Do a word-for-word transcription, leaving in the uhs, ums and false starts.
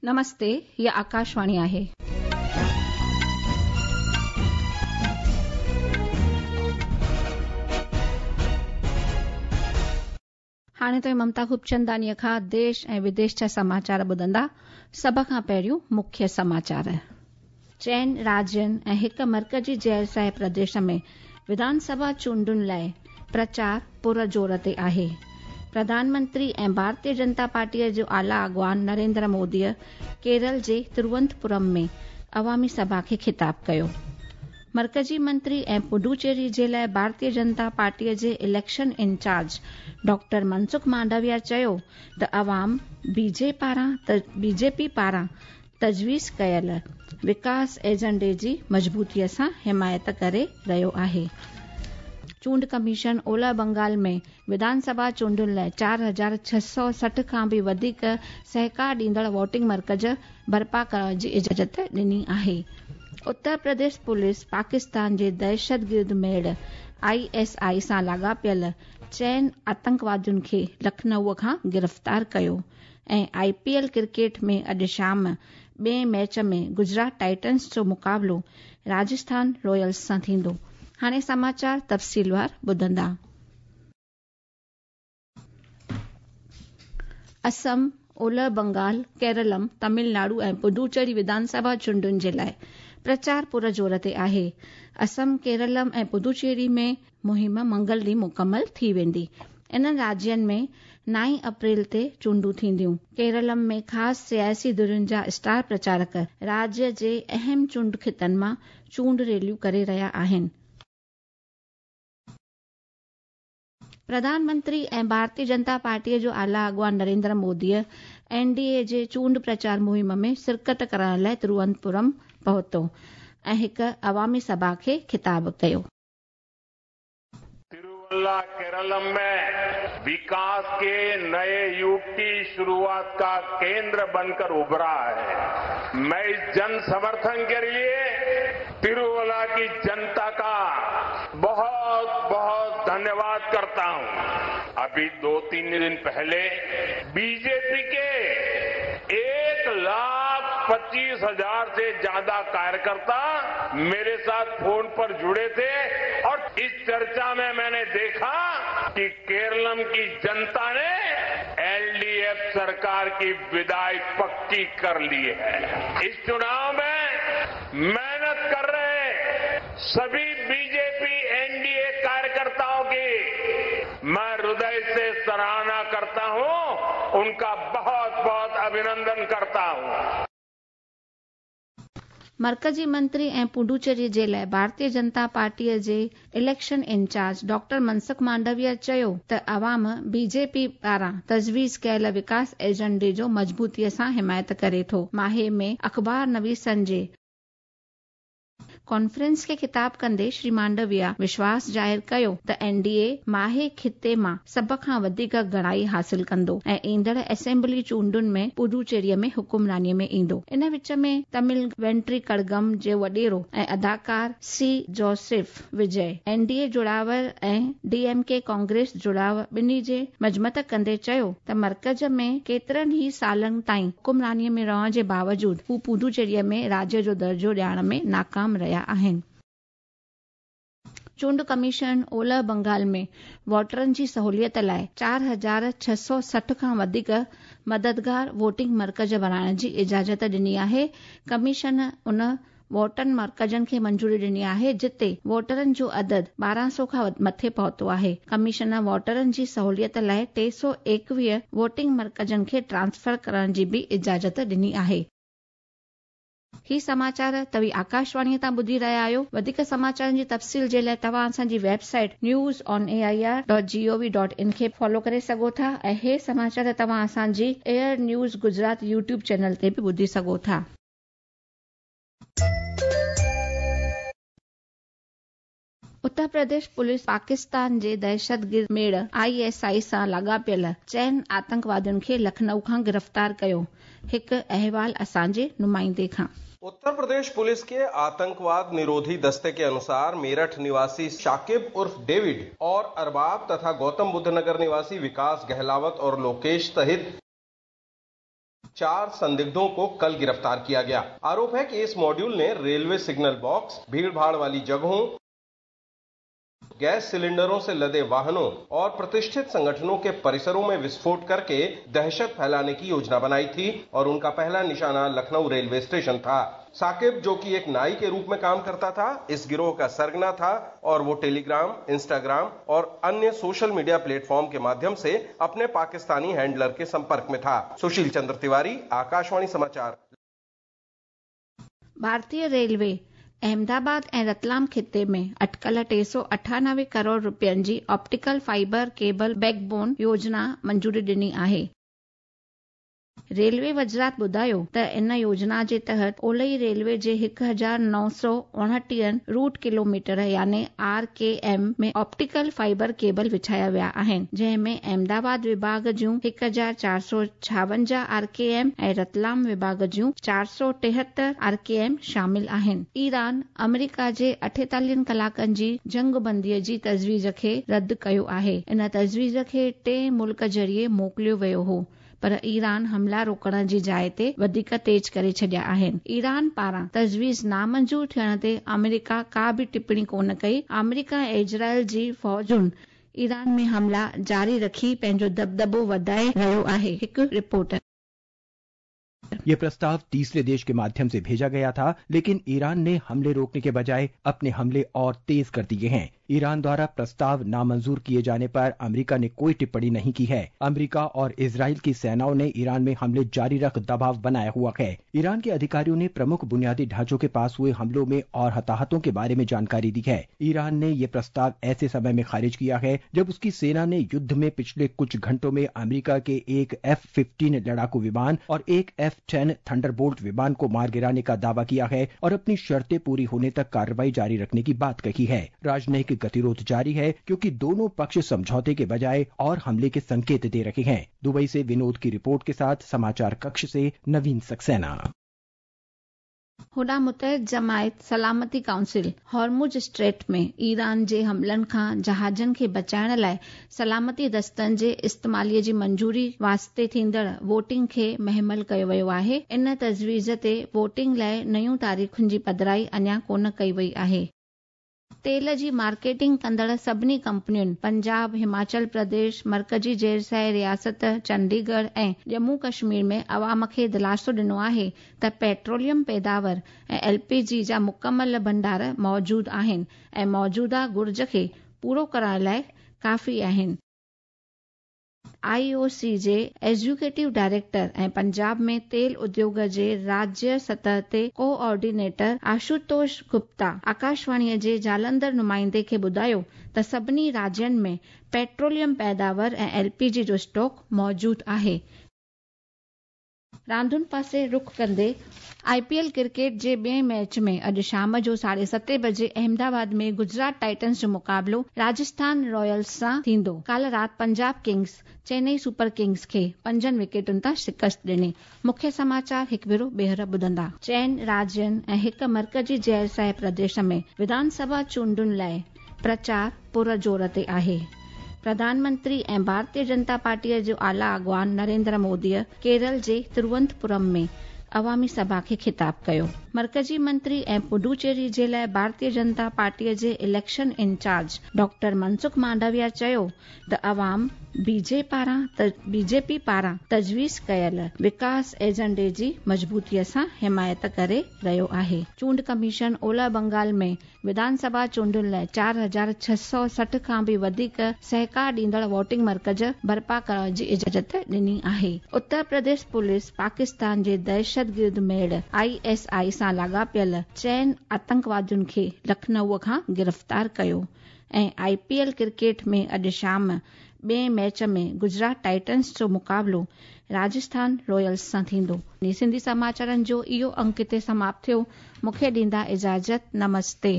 नमस्ते, हीअ आकाशवाणी आहे. हाणे तव्हां ममता खूबचंदानीअ खां देश ऐं विदेश जा समाचार ॿुधंदा. सभ खां पहिरियों मुख्य समाचार. चइनि राज्यनि ऐं हिकु मर्कज़ी ज़ैर प्रदेश में विधानसभा चूंडुनि लाइ प्रचार पुर ज़ोर ते आहे. प्रधानमंत्री ऐं भारतीय जनता पार्टीअ जो आला अॻवान नरेंद्र मोदीअ केरल जे तिरुवनंतपुरम में अवामी सभा खे ख़िताब कयो. मर्कज़ी मंत्री ऐं पुडुचेरी जे लाइ भारतीय जनता पार्टीअ जे election incharge doctor Mansukh Mandaviya चयो त अवाम बीजे पारां बीजेपी पारां तजवीज़ कयल विकास एजेंडे जी मज़बूतीअ सां हिमायत करे रहियो आहे. चूंड कमीशन ओलह बंगाल में विधानसभा चूंडुनि लाइ चार हज़ार छह सौ सठि खां बि वधीक सहकार ॾींदड़ वोटिंग मर्कज़ बर्पा करण जी इजाज़त ॾिनी आहे. उत्तर प्रदेश पुलिस पाकिस्तान जे दहशतगर्द मेड़ I S I सां लाॻापियल चइनि आतंकवादियुनि खे लखनऊ खां गिरफ़्तार कयो. ऐं I P L cricket में अॼु शाम ॿिए मैच में गुजरात टाइटन्स जो मुक़ाबिलो राजस्थान रॉयल्स सां थींदो. हाणे समाचार तफ़सीलवार ॿुधंदा. असम, ओलह बंगाल, केरलम, तमिलनाडु ऐं पुडुचेरी विधानसभा चूंडुनि जे लाइ प्रचार पुर ज़ोर ते आहे. असम, केरलम ऐं पुडुचेरी में मुहिम मंगल ॾींहुं मुकमल थी वेंदी. इन्हनि राज्यनि में नाई अप्रैल ते चूंडूं थींदियूं. केरलम में ख़ासि सियासी धुरियुनि जा स्टार प्रचारक राज्य जे अहम चूंड ख़ितनि मां चूंड रैलियूं करे रहिया आहिनि. प्रधानमंत्री ऐं भारतीय जनता पार्टीअ जो आला अॻवान नरेंद्र मोदीअ एन डी ए जे चूंड प्रचार मुहिम में शिरकत करण लाइ तिरुवनंतपुरम पहुतो ऐं हिकु अवामी सभा खे ख़िताब कयो. तिरुवल्ला केरलम में विकास के नए युग की शुरुआत का केंद्र बनकर उभरा है. मैं इस जन समर्थन के लिए तिरुवल्ला की जनता का बहुत बहुत धन्यवाद करता हूं. अभी दो तीन दिन पहले बीजेपी के एक लाख पच्चीस हजार से ज्यादा कार्यकर्ता मेरे साथ फोन पर जुड़े थे और इस चर्चा में मैंने देखा कि केरलम की जनता ने एलडीएफ सरकार की विदाई पक्की कर ली है. इस चुनाव में मेहनत कर रहे सभी बीजेपी एनडीए कार्यकर्ताओं की मैं हृदय से सराहना करता हूं, उनका बहुत बहुत अभिनंदन करता हूं. मर्कज़ी मंत्री ऐं पुडुचेरी जे लाइ भारतीय जनता पार्टीअ जे election incharge doctor Mansukh Mandaviya चयो त अवाम बीजेपी पारां तजवीज़ कयल विकास एजेंडे जो मज़बूतीअ सां हिमायत करे थो. माहे में अख़बार नवीसनि जे कॉन्फ्रेंस खे ख़िताब कंदे श्री मांडविया विश्वास ज़ाहिर कयो त एन डी ए माहे ख़िते मां सभ खां वधीक घणाई हासिल कंदो ऐं ईंदड़ असेंबली चूंडुनि में पुडुचेरीअ में हुकुमरानीअ में ईंदो. इन विच में तमिल वेंट्री कड़गम जो वॾेरो ऐं अदाकार C Joseph Vijay N D A जुड़ाव ऐं डी एम के कांग्रेस जुड़ाव ॿिन्ही जे मज़मत कंदे चयो त मर्कज़ में केतिरनि ई सालनि ताईं हुकुमरानीअ में रहण जे बावजूद हू पुडुचेरीअ में राज्य जो दर्जो ॾियण में नाकाम रहिया आहिनि. चूंड कमीशन ओलह बंगाल में वोटरनि जी सहूलियत लाइ चार हज़ार छह सौ सठि खां वधीक मददगार वोटिंग मर्कज़ बणाइण जी इजाज़त ॾिनी आहे. कमीशन उन वोटन मर्कज़नि खे मंजूरी ॾिनी आहे जिते वोटरनि जो अदद ॿारहं सौ खां मथे पहुतो आहे. कमीशन वोटरनि जी सहूलियत लाइ टे सौ एकवीह वोटिंग मर्कज़नि खे ट्रांसफर करण जी बि इजाज़त ॾिनी आहे. ही समाचार तव्हीं आकाशवाणीअ तां ॿुधी रहिया आहियो. वधीक समाचारनि जी तफ़सील जे लाइ तव्हां असांजी website news on A I R dot G O V dot in खे फॉलो करे सघो था ऐं हे समाचार तव्हां असांजी AIR news Gujarat YouTube channel ते बि ॿुधी सघो था. उत्तर प्रदेश पुलिस पाकिस्तान जे दहशतगर्द मेड़ I S I सां लाॻापियल चइनि आतंकवादियुनि खे लखनऊ खां गिरफ़्तार कयो. हिकु अहवाल असांजे नुमाइंदे खां. उत्तर प्रदेश पुलिस के आतंकवाद निरोधी दस्ते के अनुसार मेरठ निवासी शाकिब उर्फ डेविड और अरबाब तथा गौतम बुद्ध नगर निवासी विकास गहलावत और लोकेश सहित चार संदिग्धों को कल गिरफ्तार किया गया। आरोप है कि इस मॉड्यूल ने रेलवे सिग्नल बॉक्स, भीड़भाड़ वाली जगहों, गैस सिलेंडरों से लदे वाहनों और प्रतिष्ठित संगठनों के परिसरों में विस्फोट करके दहशत फैलाने की योजना बनाई थी और उनका पहला निशाना लखनऊ रेलवे स्टेशन था। साकिब, जो कि एक नाई के रूप में काम करता था, इस गिरोह का सरगना था और वो टेलीग्राम, इंस्टाग्राम और अन्य सोशल मीडिया प्लेटफॉर्म के माध्यम से अपने पाकिस्तानी हैंडलर के संपर्क में था। सुशील चंद्र तिवारी, आकाशवाणी समाचार। भारतीय रेलवे अहमदाबाद ऐं रतलाम खिते में अटकल टे सौ अठानवे करोड़ रुपयनि जी ऑप्टिकल फाइबर केबल बैकबोन योजना मंजूरी ॾिनी आहे। रेलवे वज़ारत ॿुधायो त इन योजना जे तहत ओलई रेलवे जे हिकु हज़ार नौ सौ उणटीह रूट किलोमीटर यानी आर के एम में ऑप्टिकल फाइबर केबल विछाया विया आहिनि, जंहिं में अहमदाबाद विभाग जूं हिकु हज़ार चारि सौ छावंजाह आर के एम ऐं रतलाम विभाग जूं चारि सौ टेहतरि आर के एम शामिल आहिनि। ईरान अमेरिका जे अठेतालीहनि कलाकनि जी जंगबंदीअ जी तजवीज़ खे रद्द कयो आहे। इन तजवीज़ खे टे मुल्क ज़रिए मोकिलियो वियो हो, पर ईरान हमला रोकण जी जाइ ते वधीक तेज़ करे छॾिया आहिनि। ईरान पारां तजवीज़ नामंज़ूर थियण ते अमेरिका का बि टिप्पणी कोन कई। अमेरिका ऐं इज़राइल जी फ़ौजुनि ईरान में हमला जारी रखी पंहिंजो दबदबो वधाए रहियो आहे। हिकु रिपोर्ट। ये प्रस्ताव तीसरे देश के माध्यम से भेजा गया था, लेकिन ईरान ने हमले रोकने के बजाय अपने हमले और तेज कर दिए हैं। ईरान द्वारा प्रस्ताव नामंजूर किए जाने पर अमेरिका ने कोई टिप्पणी नहीं की है। अमेरिका और इजराइल की सेनाओं ने ईरान में हमले जारी रख दबाव बनाया हुआ है। ईरान के अधिकारियों ने प्रमुख बुनियादी ढांचों के पास हुए हमलों में और हताहतों के बारे में जानकारी दी है। ईरान ने यह प्रस्ताव ऐसे समय में खारिज किया है जब उसकी सेना ने युद्ध में पिछले कुछ घंटों में अमेरिका के एक एफ फिफ्टीन लड़ाकू विमान और एक एफ टेन थंडरबोल्ट विमान को मार गिराने का दावा किया है और अपनी शर्तें पूरी होने तक कार्रवाई जारी रखने की बात कही है। राजनयिक गतिरोध जारी है क्योंकि दोनों पक्ष समझौते के बजाय और हमले के संकेत दे रहे हैं। दुबई से विनोद की रिपोर्ट के साथ समाचार कक्ष से नवीन सक्सेना। होॾां मुतहिद जमायत सलामती काउंसिल हॉर्मुज स्ट्रेट में ईरान जे हमलनि खां जहाज़नि खे बचाइण लाइ सलामती दस्तनि जे इस्तेमालीअ जी मंजूरी वास्ते थींदड़ वोटिंग खे महमल कयो वियो आहे। इन तजवीज़ ते वोटिंग लाइ नयूं तारीख़ुनि जी पधराई अञा कोन कई वई आहे। तेल जी मार्केटिंग कंदड़ सभिनी कंपनियुनि पंजाब, हिमाचल प्रदेश, मर्कजी ज़ेरसाए रियासत चंडीगढ़ ऐं जम्मू कश्मीर में अवाम खे दिलासो ॾिनो आहे त पेट्रोलियम पैदावार ऐं एल पी जी जा मुकमल भंडार मौजूद आहिनि ऐं मौजूदा घुर्ज खे पूरो करण लाइ काफ़ी आहिनि। आई ओ सी जे एग्जीक्यूटिव डायरेक्टर ऐं पंजाब में तेल उद्योग जे राज्य सतह ते कोऑर्डिनेटर आशुतोष गुप्ता आकाशवाणीअ जे जालंधर नुमाइंदे खे ॿुधायो त सभिनी राज्यनि में पेट्रोलियम पैदावार ऐं एल पी जी जो स्टॉक मौजूद आहे। रांदुनि पासे रुख कंदे I P L cricket जे ॿिए मैच में अॼु शाम जो साढे सते बजे अहमदाबाद में गुजरात टाइटन्स जो मुक़ाबिलो राजस्थान रॉयल्स सां थींदो। काल्ह राति Punjab Kings Chennai super Kings खे पंजनि विकेटुनि तां शिकस्त ॾिनी। मुख्य समाचार हिकु भेरो ॿीहर ॿुधंदा। चइनि राज्यनि ऐं हिकु मर्कजी ज़ेरसाए प्रदेश में विधानसभा चूंडुनि लाइ प्रचार पुर ज़ोर ते आहे। प्रधानमंत्री ऐं भारतीय जनता पार्टीअ जो आला अॻवान नरेंद्र मोदीअ केरल जे तिरुवनंतपुरम में अवामी सभा खे ख़िताब कयो। मर्कजी मंत्री ऐं पुडुचेरी जे लाइ भारतीय जनता पार्टीअ जे election incharge doctor Mansukh Mandaviya चयो त अवाम बीजे पारां बीजेपी पारां तजवीज़ कयल विकास एजेंडे जी मज़बूतीअ सां हिमायत करे रहियो आहे। चूंड कमीशन ओलह बंगाल में विधानसभा चूंडुनि लाइ चारि हज़ार छह सौ सठि खां बि वधीक सहकार ॾींदड़ वोटिंग मर्कज़ बर्पा करण जी इजाज़त ॾिनी आहे। उत्तर प्रदेश पुलिस पाकिस्तान जे दहशतगिर्द मेड़ I S I सां लाॻापियल चइनि आतंकवादियुनि खे लखनऊ खां गिरफ़्तार कयो। ऐं I P L cricket में अॼु शाम ॿिए मैच में गुजरात टाइटन्स जो मुक़ाबिलो राजस्थान रॉयल्स सां थींदो। सिंधी समाचारनि जो इहो अंक हिते समाप्त थियो। मूंखे ॾींदा इजाज़त। नमस्ते।